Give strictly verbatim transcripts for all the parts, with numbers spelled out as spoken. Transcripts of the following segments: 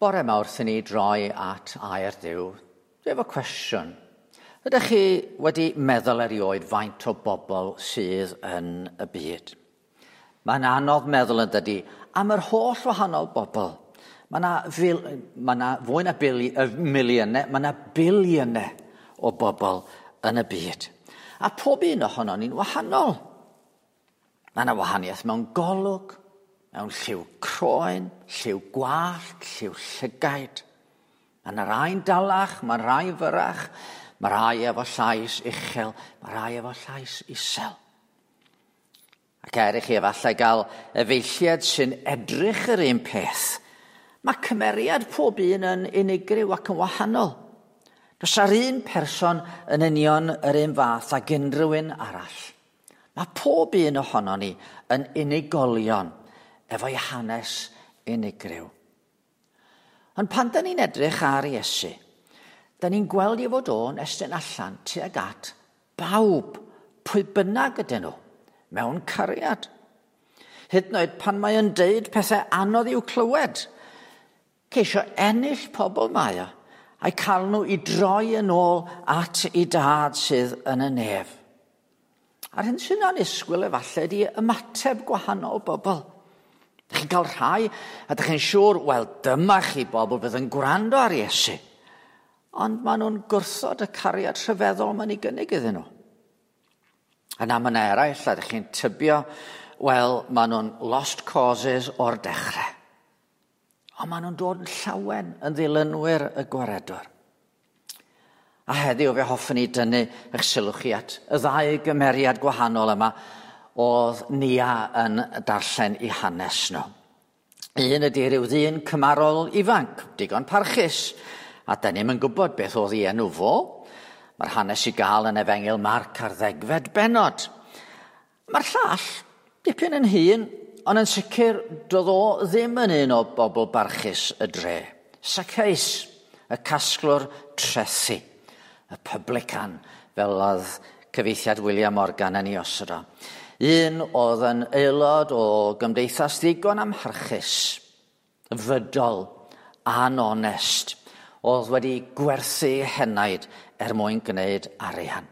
Bore 'ma wrth i ni droi at air Duw, dwi efo cwestiwn. Ydych chi wedi meddwl erioed faint o bobl sydd yn y byd? Mae'n anodd meddwl yn dydi am yr holl wahanol bobl. Mae yna, fil, mae yna fwy na bili, miliynau, mae yna biliynau o bobl yn y byd. A pob un ohono ni'n wahanol. Mae yna wahaniaeth mewn golwg, mewn lliw croen, lliw gwallt, lliw llygaid. Mae yna rai'n dalach, mae rhai fyrach, mae rhai efo llais uchel, mae rhai efo llais isel. Ac er i chi efallai gael efeilliad sy'n edrych yr un peth, mae cymeriad pob un yn unigryw ac yn wahanol. Does ar un person yn union yr un fath ag unrhyw un arall. Mae pob un ohono ni yn unigolion efo'i hanes unigryw. Ond pan da ni'n edrych ar Iesu, da ni'n gweld ei fod o'n estyn allan tuag at bawb, pwy bynnag ydyn nhw, mewn cariad. Hyd yn oed pan mae o'n deud pethau anodd i'w clywed, ceisio ennill pobl mae o, a'i cael nhw i droi yn ôl at ei dad sydd yn y nef. A'r hyn sy'n annisgwyl efallai ydy ymateb gwahanol bobl. Dych chi'n cael rhai, a dych chi'n siŵr, wel, dyma chi bobl fydd yn gwrando ar Iesu. Ond maen nhw'n gwrthod y cariad rhyfeddol mae'n ei gynnig iddyn nhw. Yna mae yna eraill, a dych chi'n tybio, wel, maen nhw'n lost causes o'r dechrau. Ond maen nhw'n dod yn llawen yn ddilynwyr y gwaredwr. A heddiw fe hoffwn i dynnu eich sylw chi at y ddau gymeriad gwahanol yma oedd Nia yn darllen i hanes nhw. Un ydy rhyw ddyn cymarol ifanc, digon parchus, a da ni'm yn gwybod beth oedd ei enw fo. Mae'r hanes i gael yn Efengyl Marc ar ddegfed bennod. Mae'r llall, dipyn yn hŷn, ond yn sicr doedd o ddim yn un o bobl barchus y dre. Zacchaeus, y casglwr trethi, y publican, fel oedd cyfieithiad William Morgan yn ei osod o. Un oedd yn aelod o gymdeithas ddigon amharchus, fydol, anonest, oedd wedi gwerthu henaid er mwyn gwneud arian.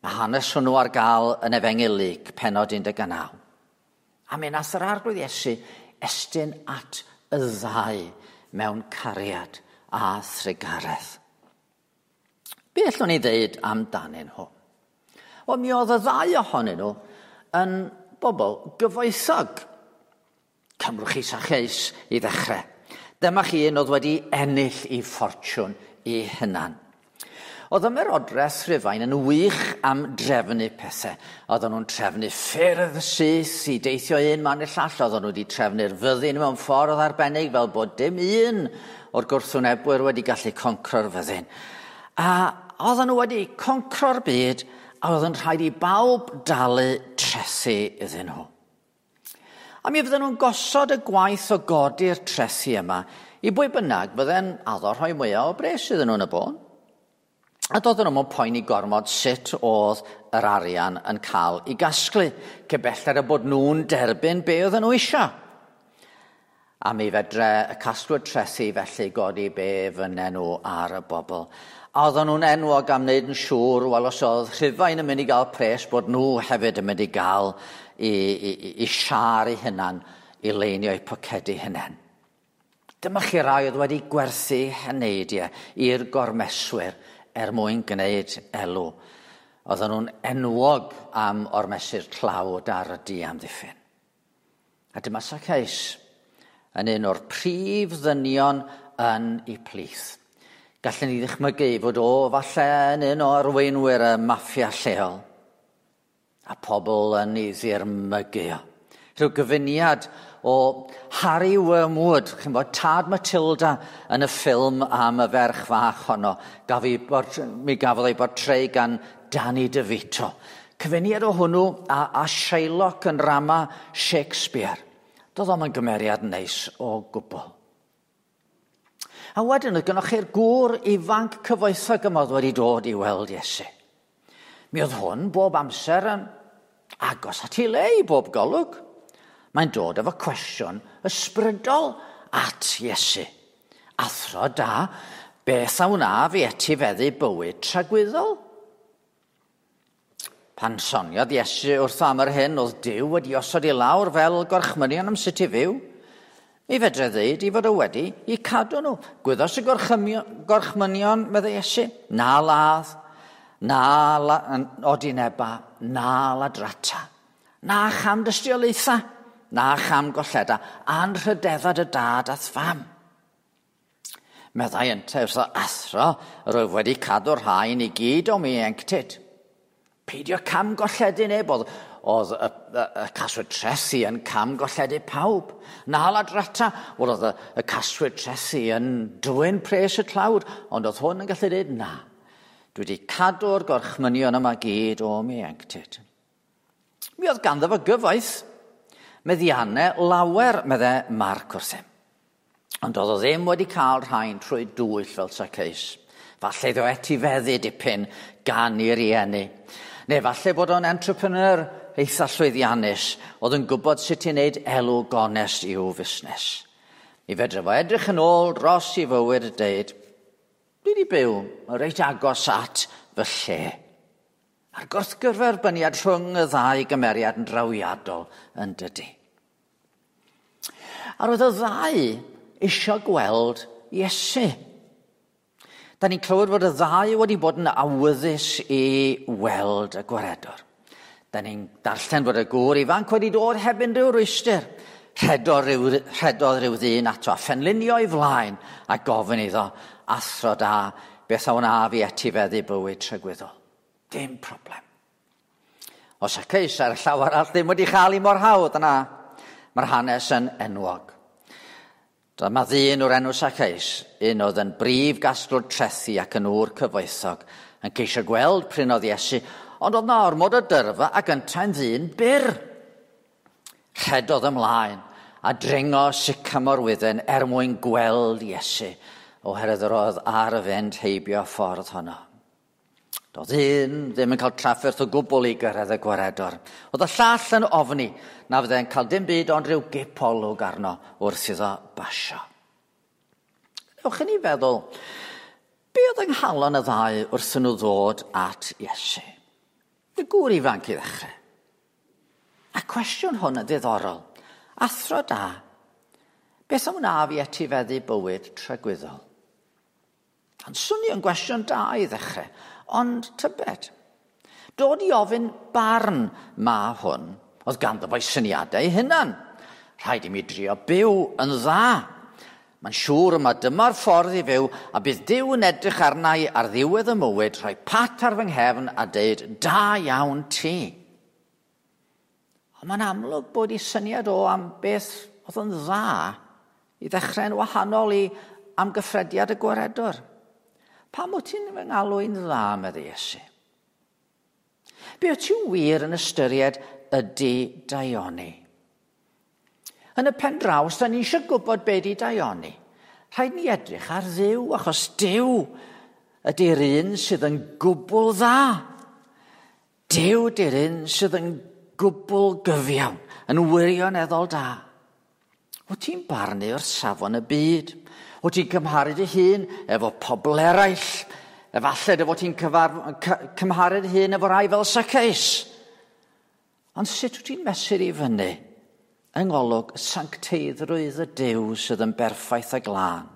Mae hanes hwnnw ar gael yn Efengyl Luc, pennod un deg naw. A mi nath yr Arglwydd Iesu estyn at y ddau mewn cariad a thrugaredd. Be allwn ni ddeud amdanyn nhw? Wel, mi oedd y ddau ohonyn nhw yn bobl gyfoethog. Cymrwch chi Zacchaeus i ddechrau. Dyma chi un oedd wedi ennill ei ffortiwn ei hunan. Oedd ymerodraeth Rhufain yn wych am drefnu pethau. Oedden nhw'n trefnu ffyrdd syth i deithio un man i'r llall. Oedden nhw wedi trefnu'r fyddin mewn ffordd arbennig fel bod dim un o'r gwrthwynebwyr wedi gallu concro'r fyddin. A oedden nhw wedi concro'r byd a oedd yn rhaid i bawb dalu trethi iddyn nhw. A mi fydden nhw'n gosod y gwaith o godi'r trethi yma i bwy bynnag fydde'n addo rhoi mwyaf o bres iddyn nhw'n y bôn. A doedden nhw'n poeni gormod sut oedd yr arian yn cael ei gasglu, cyn belled y bod nhw'n derbyn be oedden nhw eisiau. A mi fedre y casglwyr trethi felly godi be fynnen nhw ar y bobl. A oedden nhw'n enwog am wneud yn siŵr, wel, os oedd Rhufain yn mynd i gael pres, bod nhw hefyd yn mynd i gael i, i, i, i siâr eu hunan i leinio eu pocedi hunain. Dyma chi rai oedd wedi gwerthu heneidiau i'r gormeswyr er mwyn gwneud elw. Oedden nhw'n enwog am ormesu'r tlawd ar y diamddiffyn. A dyma Zacchaeus yn un o'r prif ddynion yn ei plith. Gallen ni ddychmygu fod o falle yn un o arweinwyr y maffia lleol. A pobl yn ei ddirmygu o. Rhyw gyfuniad o Harry Wormwood, chi'n bod, tad Matilda yn y ffilm am y ferch fach honno. Gaf ei, mi gafodd ei bortreu gan Danny DeVito. Cyfuniad o hwnnw a, a Shylock yn rama Shakespeare. Doedd o'm yn gymeriad neis o gwbl. A wedyn oedd gynnoch chi'r gŵr ifanc cyfoethog yma oedd wedi dod i weld Iesu. Mi oedd hwn bob amser yn agos at ei le i bob golwg. Mae'n dod efo cwestiwn ysbrydol at Iesu. Athro da, beth a wnaf i etifeddu bywyd tragwyddol? Pan soniodd Iesu wrtho am yr hyn oedd Duw wedi osod i lawr fel gorchmynion am sut i fyw, mi fedre ddeud i fod o wedi i cadw nhw. Gwyddos y gorchmynion, meddai Iesu, na ladd, na la, odineba, na ladrata, na cham dystiolaetha, na cham golleda, anrhydedda dy dad a'th fam. Meddai yntau wrtho, athro, rwyf wedi cadw'r rhain i gyd o mi ieuenctid. Peidio cam golledu neb, oedd, oedd y, y, y caswyd trethi yn cam golledu pawb. Na ladrata, wel oedd y, y caswyd trethi yn dwyn pres y tlawd, ond oedd hwn yn gallu dweud na. Dwi wedi cadw'r gorchmynion yma gyd o mi ieuenctid. Mi oedd ganddo fo gyfoeth, meddiannau lawer, meddai Marc wrthym. Ond oedd o ddim wedi cael rhain trwy dwyll fel Zacchaeus. Falle iddo etifeddu dipyn gan ei rieni. Neu falle bod o'n entrepreneur eitha llwyddiannus oedd yn gwybod sut i wneud elw gonest i'w fusnes. Mi fedre fo edrych yn ôl dros i fywyd a deud, dwi wedi byw yn reit agos at fy lle. A'r gwrthgyferbyniad rhwng y ddau gymeriad yn drawiadol yn dydy. A roedd y ddau eisiau gweld Iesu. Da ni'n clywed fod y ddau wedi bod yn awyddus i weld y gwaredwr. Da ni'n darllen fod y gŵr ifanc wedi dod heb unrhyw rwystr. Rhedodd rhyw, rhedodd rhyw ddyn ato a phenlinio i flaen a gofyn iddo, athro da, beth a wnaf i etifeddu bywyd tragwyddol. Dim problem. O Zacchaeus ar y llaw arall ddim wedi chael ei mor hawdd yna. Mae'r hanes yn enwog. Dyma ddyn o'r enw Zacchaeus, un oedd yn brif gasglwr trethi ac yn ŵr cyfoethog, yn ceisio gweld prin oedd Iesu, ond oedd na ormod o dyrfa ac yntau'n ddyn byr. Rhedodd ymlaen a dringo sycamorwydden er mwyn gweld Iesu, oherwydd yr oedd ar y fynd heibio ffordd honno. Doedd un ddim yn cael trafferth o gwbl i gyrraedd y gwaredwr. Oedd y llall yn ofni na fydde'n cael dim byd ond rhyw gipolwg arno wrth iddo basio. Ewch i ni feddwl, be oedd yng nghalon y ddau wrth nhw ddod at Iesu? Y gŵr ifanc i ddechrau. A cwestiwn hwn yn ddiddorol. Athro da, beth am wnaf i etifeddu bywyd tragwyddol? Ond swnio yn gwestiwn da i ddechrau. Ond tybed, dod i ofyn barn ma hwn, oedd ganddo fo'i syniadau ei hunan. Rhaid i mi drio byw yn dda. Mae'n siŵr yma dyma'r ffordd i fyw, a bydd Duw yn edrych arna i ar ddiwedd y mywyd, rhoi pat ar fy nghefn a deud, da iawn ti. Ond mae'n amlwg bod ei syniad o am beth oedd yn dda i ddechrau'n wahanol i amgyffrediad y gwaredwr. Pam wyt ti'n fy ngalw i'n dda, meddai Iesu? Be wyt ti'n wir yn ystyried ydy daioni? Yn y pen draw, os da ni eisiau gwybod be di daioni, rhaid ni edrych ar Dduw, achos Duw ydy'r un sydd yn gwbl dda. Duw ydy'r un sydd yn gwbl gyfiawn, yn wirioneddol da. Wyt ti'n barnu o'r safon y byd? Wyt ti'n cymharu dy hun efo pobl eraill? Efallai dy fod ti'n cymharu dy hun efo rai fel Zacchaeus. Ond sut wyt ti'n mesur i fyny yng ngolwg sancteiddrwydd y Duw sydd yn berffaith a glân?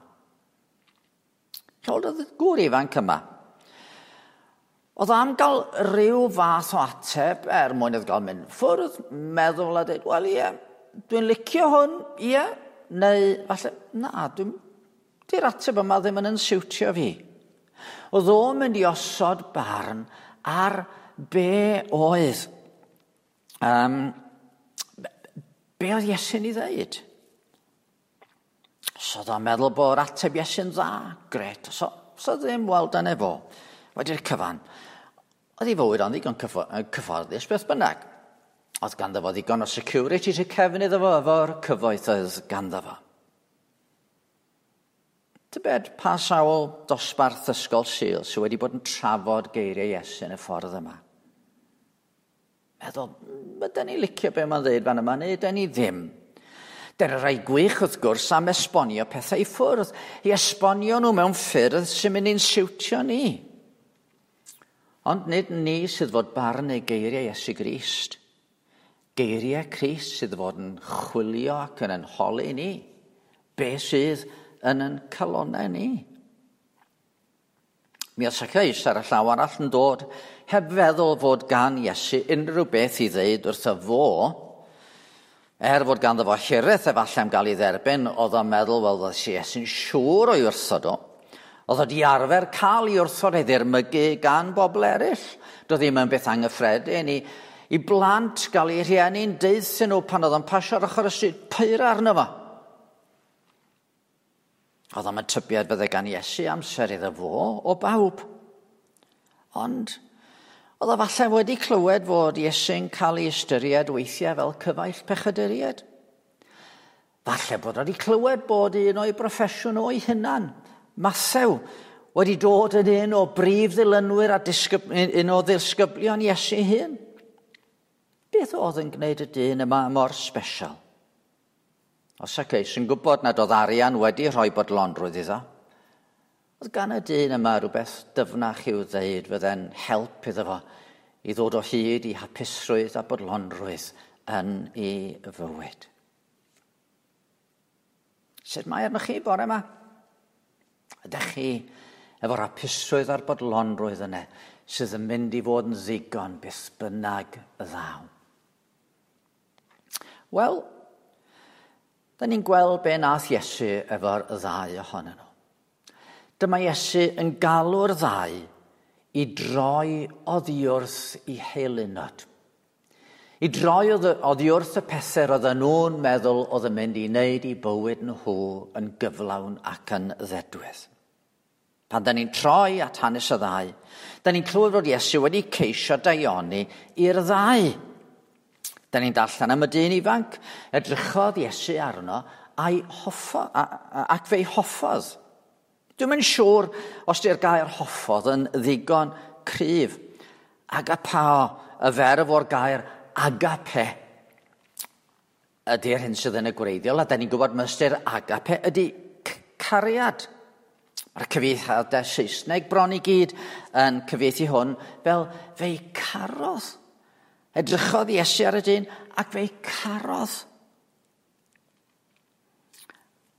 Oedd y gŵr ifanc yma. Oedd am gael rhyw fath o ateb er mwyn iddo gael mynd ffwrdd, meddwl a dweud, wel ie, dwi'n licio hwn, ie, neu falle, na, dwi'n di'r ateb yma ddim yn yn siwtio fi. Oedd o'n mynd i osod barn ar be oedd. Um, be oedd Iesu'n ei ddeud? Os oedd o'n meddwl bod ateb Iesu'n dda, gret. Os oedd ddim, wel, dyna fo. Wedi'r cyfan. Oedd ei fywyd o'n ddigon cyfforddus beth bynnag. Oedd ganddo fo ddigon o security tu cefn iddo fo efo'r cyfoeth oedd ganddo fo. Tybed pa sawl dosbarth ysgol Sul sydd wedi bod yn trafod geiriau Iesu yn y ffordd yma? Meddwl, ydyn ni licio be mae'n dweud fan yma, neu ydyn ni ddim? Dyna rai gwych wrth gwrs am esbonio pethau i ffwrdd, i esbonio nhw mewn ffyrdd sy'n mynd i'n siwtio ni. Ond nid ni sydd fod barn eu geiriau Iesu Grist. Geiriau Crist sydd fod yn chwilio ac yn yn holi ni. Be sydd yn yn calonau ni? Mi oedd Zacchaeus ar y llaw arall yn dod heb feddwl fod gan Iesu unrhyw beth i ddeud wrtho fo, er fod ganddo fo hiraeth efallai am gael ei dderbyn, oedd o'n meddwl, wel, oedd Iesu'n siŵr o'i wrthod o. Oedd o di arfer cael ei wrthod ei ddirmygu gan bobl eraill. Doedd ddim yn beth anghyffredin i, i blant gael eu rhieni'n deuthyn nhw pan oedd o'n pasio ar ochr y stryd, pyr arno fo. Oedd o'n tybiad bydde gan Iesu amser iddo fo o bawb. Ond oedd o falle wedi clywed fod Iesu'n cael ei ystyried weithiau fel cyfaill pechaduriaid. Falle bod wedi clywed bod un o'i broffesiwn o'i hunan, Mathew, wedi dod yn un o brif ddilynwyr a disgyb, un o ddisgyblion Iesu hun. Beth oedd yn gwneud y dyn yma mor special? Oedd Zacchaeus yn gwybod nad oedd arian wedi rhoi bodlonrwydd iddo. Oedd gan y dyn yma rhywbeth dyfnach i'w ddeud fydde'n help iddo fo i ddod o hyd i hapusrwydd a bodlonrwydd yn ei fywyd. Sut mae arnoch chi bore yma? Ydych chi efo'r hapusrwydd a'r bodlonrwydd yna sydd yn mynd i fod yn ddigon beth bynnag y ddaw? Wel, da ni'n gweld be nath Iesu efo'r ddau ohonyn nhw. Dyma Iesu yn galw'r ddau i droi oddi wrth i heilunod. I droi oddi wrth y pethau roedden nhw'n meddwl oedd yn mynd i wneud i bywyd nhw yn gyflawn ac yn ddedwydd. Pan da ni'n troi at hanes y ddau, da ni'n clywed fod Iesu wedi ceisio daioni i'r ddau. Da ni'n darllen am y dyn ifanc, edrychodd Iesu arno a'i hoffo, a, a, ac fe'i hoffodd. Dwi'm yn siŵr os di'r gair hoffodd yn ddigon cryf. Agapao, y ferf o'r gair agape, ydy'r hyn sydd yn y gwreiddiol, a da ni'n gwybod ystyr agape ydy cariad. Mae'r cyfieithiadau Saesneg bron i gyd yn cyfieithu hwn fel fe'i carodd. Edrychodd Iesu ar y dyn ac fe'i carodd.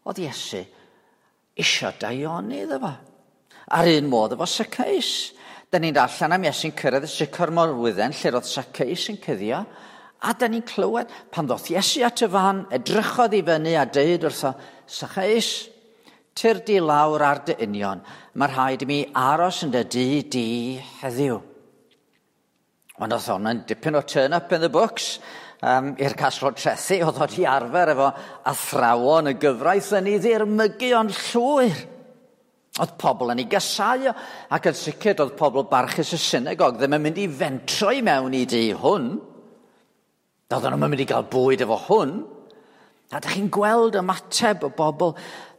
Oedd Iesu isio daioni iddo fo. Ar un modd efo Zacchaeus. Da ni'n darllen am Iesu'n cyrraedd y sycamorwydden lle roedd Zacchaeus yn cuddio, a da ni'n clywed pan ddoth Iesu at y fan, edrychodd i fyny a deud wrtho, Zacchaeus, tyrd di lawr ar dy union, mae rhaid i mi aros yn dy dŷ di heddiw. Ond oedd hwn yn dipyn o turn up in the books um, i'r casglwr trethi, oedd o di arfer efo athrawon y gyfraith yn ei ddirmygu o'n llwyr. Oedd pobl yn ei gasau o, ac yn sicr oedd pobl barchus y synagog ddim yn mynd i fentro i mewn i dŷ hwn. Doedden nhw'n mynd i gael bwyd efo hwn. A dych chi'n gweld ymateb y bobl.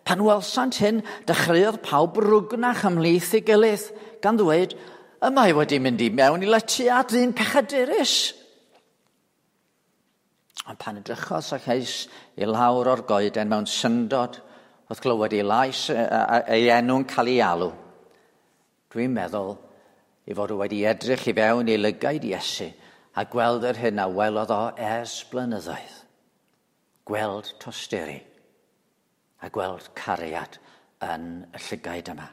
Pan welsant hyn, dechreuodd pawb rwgnach ymhlith ei gilydd, gan ddweud, y mae wedi mynd i mewn i letya dyn pechadurus. Ond pan edrychodd Zacchaeus i lawr o'r goeden mewn syndod, wrth glywed ei lais ei enw'n cael ei alw, dwi'n meddwl ei fod wedi edrych i fewn i lygaid Iesu a gweld yr hyn a welodd o ers blynyddoedd. Gweld tosturi a gweld cariad yn y llygaid yma.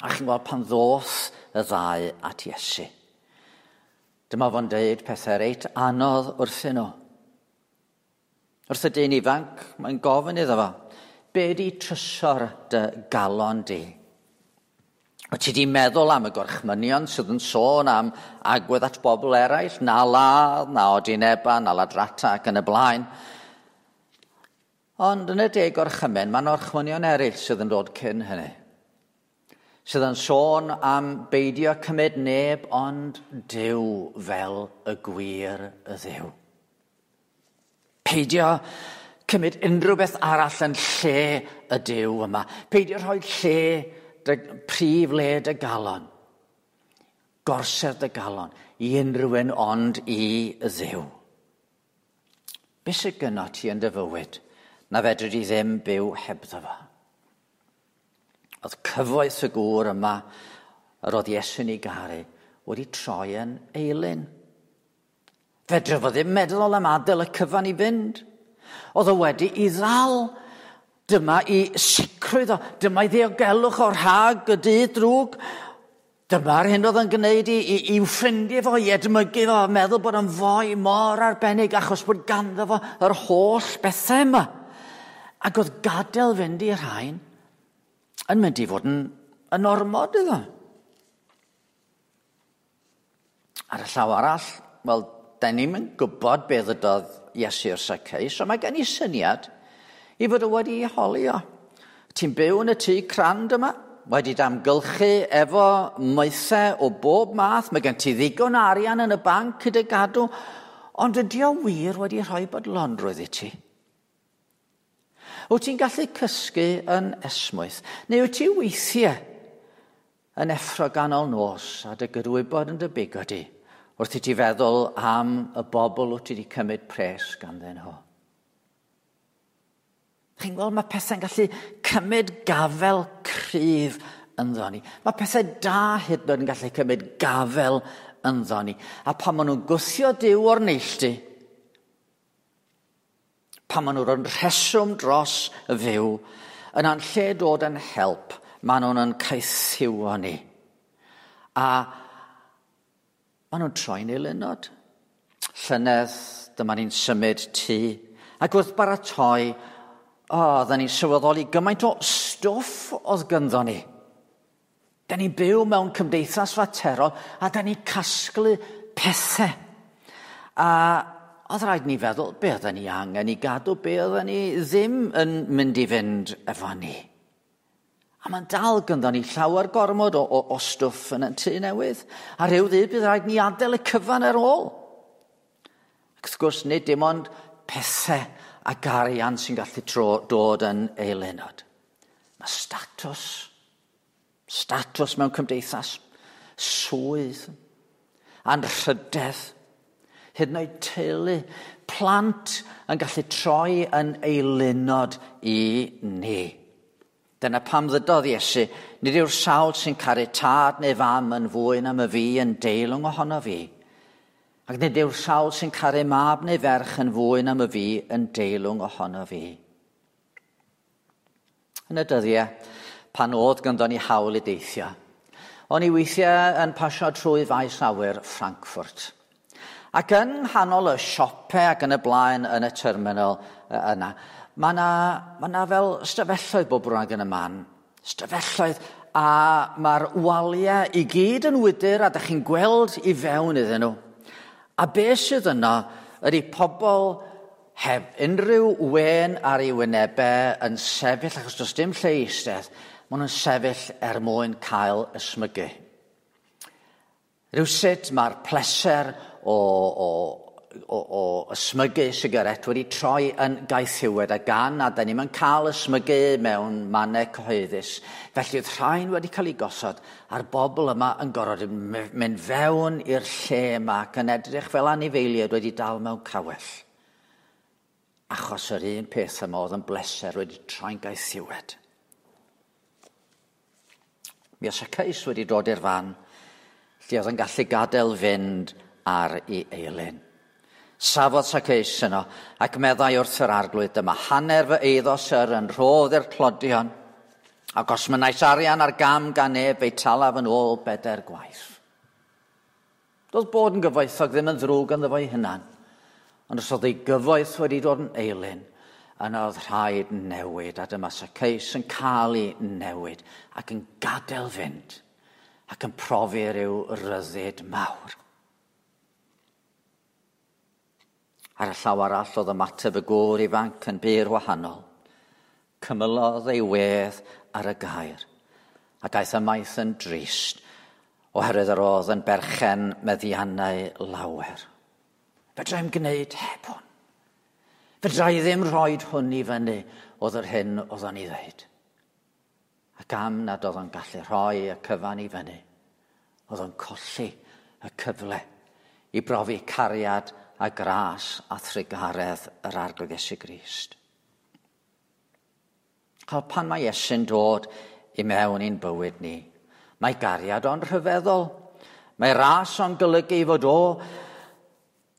A chi'n gweld pan ddoth y ddau at Iesu. Dyma fo'n deud pethau reit anodd wrthyn nhw. Wrth y dyn ifanc, mae'n gofyn iddo fo, be di trysor dy galon di? Wyt ti di meddwl am y gorchmynion sydd yn sôn am agwedd at bobl eraill, na ladd, na odineba, na ladrata ac yn y blaen. Ond yn y deg gorchymyn, mae'n orchmynion eraill sydd yn dod cyn hynny. Sydd yn sôn am beidio cymryd neb ond Duw fel y gwir y Dduw. Peidio cymryd unrhyw beth arall yn lle y Duw yma. Peidio rhoi lle, dy, prif le dy galon. Gorsedd dy galon i unrhyw un ond i Dduw. Be sydd gynno ti yn dy fywyd na fedri di ddim byw hebddo fo? Oedd cyfoeth y gŵr yma yr oedd Iesu'n ei garu wedi troi yn eilun. Fedra fo ddim meddwl am adael y cyfan i fynd. Oedd o wedi i ddal. Dyma i sicrwydd o, dyma i ddiogelwch o'r rhag y dydd drwg. Dyma'r hyn oedd yn gwneud i, i, i'w ffrindiau fo, i edmygu fo, meddwl bod yn foi mor arbennig achos bod ganddo fo yr holl bethau yma. Ac oedd gadael fynd i'r rhain yn mynd i fod yn, yn ormod iddo. Ar y llaw arall, wel, da ni'm yn gwybod beth ydodd Iesu wrth Zacchaeus, so mae gen i syniad i fod o wedi ei holi o. Ti'n byw yn y tŷ crand yma, wedi damgylchu efo maethau o bob math, mae gen ti ddigon arian yn y banc i dy gadw, ond ydy o wir wedi rhoi bodlonrwydd i ti? Wyt ti'n gallu cysgu yn esmwyth, neu wyt ti weithiau yn effro ganol nos a dy gydwybod yn dy bigo di, wrth i ti feddwl am y bobl wyt ti wedi cymryd pres ganddyn nhw? Chi'n gweld, mae pethau'n gallu cymryd gafel cryf ynddo ni. Mae pethau da hyd yn oed yn gallu cymryd gafel ynddo ni. A pan maen nhw'n gwthio Duw o'r neilltu, pan maen nhw'n rheswm dros y fyw, yna'n lle dod yn help, maen nhw'n yn caethiwo ni. A maen nhw'n troi'n eilunod. Llynedd, dyma ni'n symud tŷ, ac wrth baratoi, o, oedden ni'n sylweddoli gymaint o stwff oedd gynddo ni. Da ni'n byw mewn cymdeithas faterol a da ni'n casglu pethau. A oedd rhaid ni feddwl, be oedden ni angen i gadw, be oedden ni ddim yn mynd i fynd efo ni. A mae'n dal gynddo ni llawer gormod o, o, o stwff yn y tŷ newydd. A rhyw ddydd bydd rhaid ni adael y cyfan ar ôl. Ac wrth gwrs, nid dim ond pethau ac arian sy'n gallu tro, dod yn eilunod. Mae statws, statws mewn cymdeithas, swydd, anrhydedd, hyd yn oed teulu, plant yn gallu troi yn eilunod i ni. Dyna pam ddydodd Iesu, nid yw'r sawl sy'n caru tad neu fam yn fwy na my fi yn deilwng ohono fi. Ac nid yw'r sawl sy'n caru mab neu ferch yn fwy na my fi yn deilwng ohono fi. Yn y dyddiau, pan oedd ganddo ni hawl i deithio, o'n i weithiau yn pasio trwy faes awyr Frankfurt. Ac yng nghanol y siopau ac yn y blaen yn y terminal yna, mae yna, ma yna fel stafelloedd bob rhan yn y man. Stafelloedd, a mae'r waliau i gyd yn wydr a dych chi'n gweld i fewn iddyn nhw. A be sydd yno ydy pobl heb unrhyw wen ar ei wynebau yn sefyll, achos does dim lle i eistedd, maen nhw'n sefyll er mwyn cael ysmygu. Rywsut mae'r pleser o, o, o, o ysmygu sigaret wedi troi yn gaethiwed a gan a da ni'm yn cael ysmygu mewn mannau cyhoeddus. Felly oedd rhain wedi cael ei gosod a'r bobl yma yn gorfod mynd fewn i'r lle yma ac yn edrych fel anifeiliaid wedi dal mewn cawell. Achos yr un peth yma oedd yn bleser wedi troi'n gaethiwed. Mi oedd Zacchaeus wedi dod i'r fan lle oedd yn gallu gadael fynd ar ei eilun. Safodd Zacchaeus yno ac meddai wrth yr arglwydd, dyma hanner fy eiddo syr yn rhodd i'r tlodion, ac os mynais arian ar gam gan neb, fe'i talaf yn ôl bedair gwaith. Doedd bod yn gyfoethog ddim yn ddrwg ynddo fo'i hunan, ond os oedd ei gyfoeth wedi dod yn eilun, yna oedd rhaid newid, a dyma Zacchaeus yn cael ei newid ac yn gadael fynd ac yn profi rhyw ryddid mawr. Ar y llaw arall oedd ymateb y gŵr ifanc yn bur wahanol. Cymylodd ei wedd ar y gair, ac aeth ymaith yn drist, oherwydd yr oedd yn berchen meddiannau lawer. Fedra i'm gwneud heb hwn. Fedra i ddim rhoid hwn i fyny oedd yr hyn oedd o'n ei ddeud. Ac am nad oedd o'n gallu rhoi y cyfan i fyny, oedd o'n colli y cyfle i brofi cariad a gras a thrugaredd yr Arglwydd Iesu Grist. Cael pan mae Iesu'n dod i mewn i'n bywyd ni, mae gariad o'n rhyfeddol. Mae ras o'n golygu fod o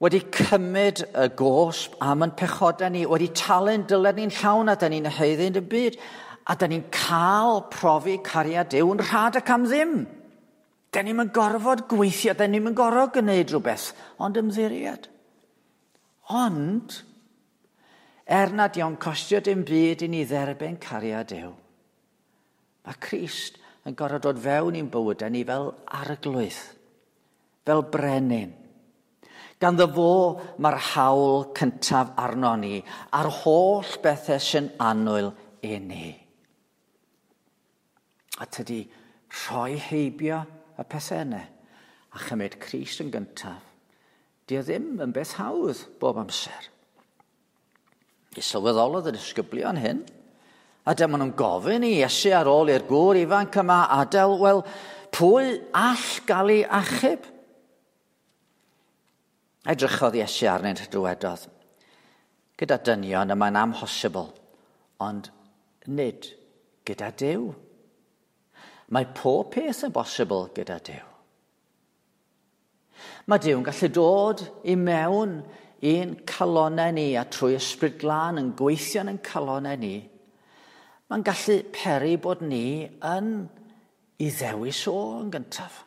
wedi cymryd y gosb am yn pechodau ni, wedi talu'n dyled ni'n llawn a da ni'n haeddu yn y byd, a da ni'n cael profi cariad Duw yn rhad ac am ddim. Da ni'n yn gorfod gweithio, da ni'n yn gorfod gwneud rhywbeth, ond ymddiried. Ond, er nad yw'n costio dim byd i ni dderbyn cariad Duw, mae Crist yn gorfod dod fewn i'n bywydau ni fel arglwydd, fel brenin. Ganddo fo mae'r hawl cyntaf arno ni, a'r holl bethau sy'n annwyl i ni. A tydi rhoi heibio y pethau yna a chymryd Crist yn gyntaf, di o ddim yn beth hawdd bob amser. I sylweddolodd y disgyblion hyn, a dyma nhw'n gofyn i Iesu ar ôl i'r gŵr ifanc yma adael, wel, pwy all gael ei achub? Edrychodd Iesu arnynt a dywedodd, gyda dynion y mae'n amhosibl, ond nid gyda Duw. Mae pob peth yn bosibl gyda Duw. Mae Duw yn gallu dod i mewn i'n calonau ni a trwy Ysbryd Glân yn gweithio yn calonau ni. Mae'n gallu peri bod ni yn ei ddewis o yn gyntaf.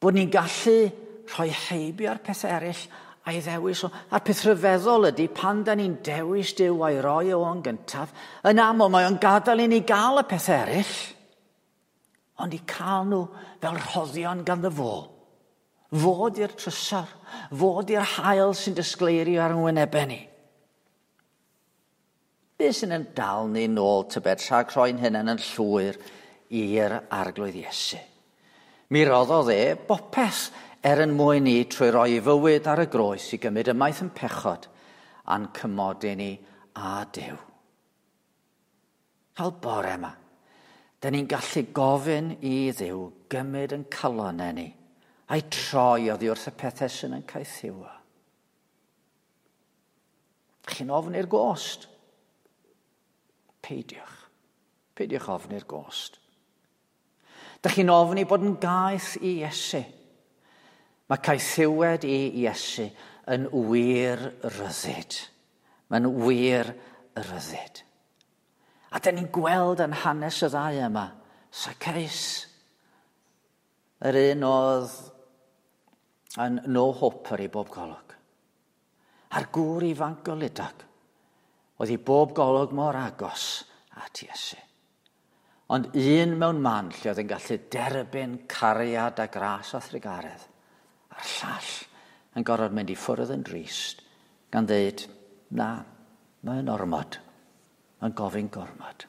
Bod ni'n gallu rhoi heibio ar pethau eraill a'i ddewis o. A'r peth rhyfeddol ydy pan da ni'n dewis Duw a'i roi o yn gyntaf, yn aml mae o'n gadael i ni gael y pethau eraill, ond i cael nhw fel rhoddion ganddo fo. Fod i'r trysor, fod i'r haul sy'n disgleirio ar wynebau ni. Be sy'n yn dal ni nôl tybed rhag rhoi'n hunain yn llwyr i'r Arglwydd Iesu? Mi roddodd e bopeth er yn mwyn ni trwy roi ei fywyd ar y groes i gymryd ymaith yn pechod a'n cymodi ni â Duw. Fel bore yma, da ni'n gallu gofyn i Dduw gymryd yn calonau ni a'i troi oddi wrth y pethau sy'n yn caethiwo. Chi'n ofni'r gost? Peidiwch. Peidiwch ofni'r gost. Da chi'n ofni bod yn gaeth i Iesu. Mae caethiwed i Iesu yn wir ryddid. Mae'n wir ryddid. A da ni'n gweld yn hanes y ddau yma, Zacchaeus, yr un oedd yn no hoper i bob golwg. A'r gŵr ifanc goludog, oedd i bob golwg mor agos at Iesu. Ond un mewn man lle oedd yn gallu derbyn cariad a gras a thrugaredd, a'r llall yn gorfod mynd i ffwrdd yn drist, gan ddeud, na, mae'n ormod, mae'n gofyn gormod.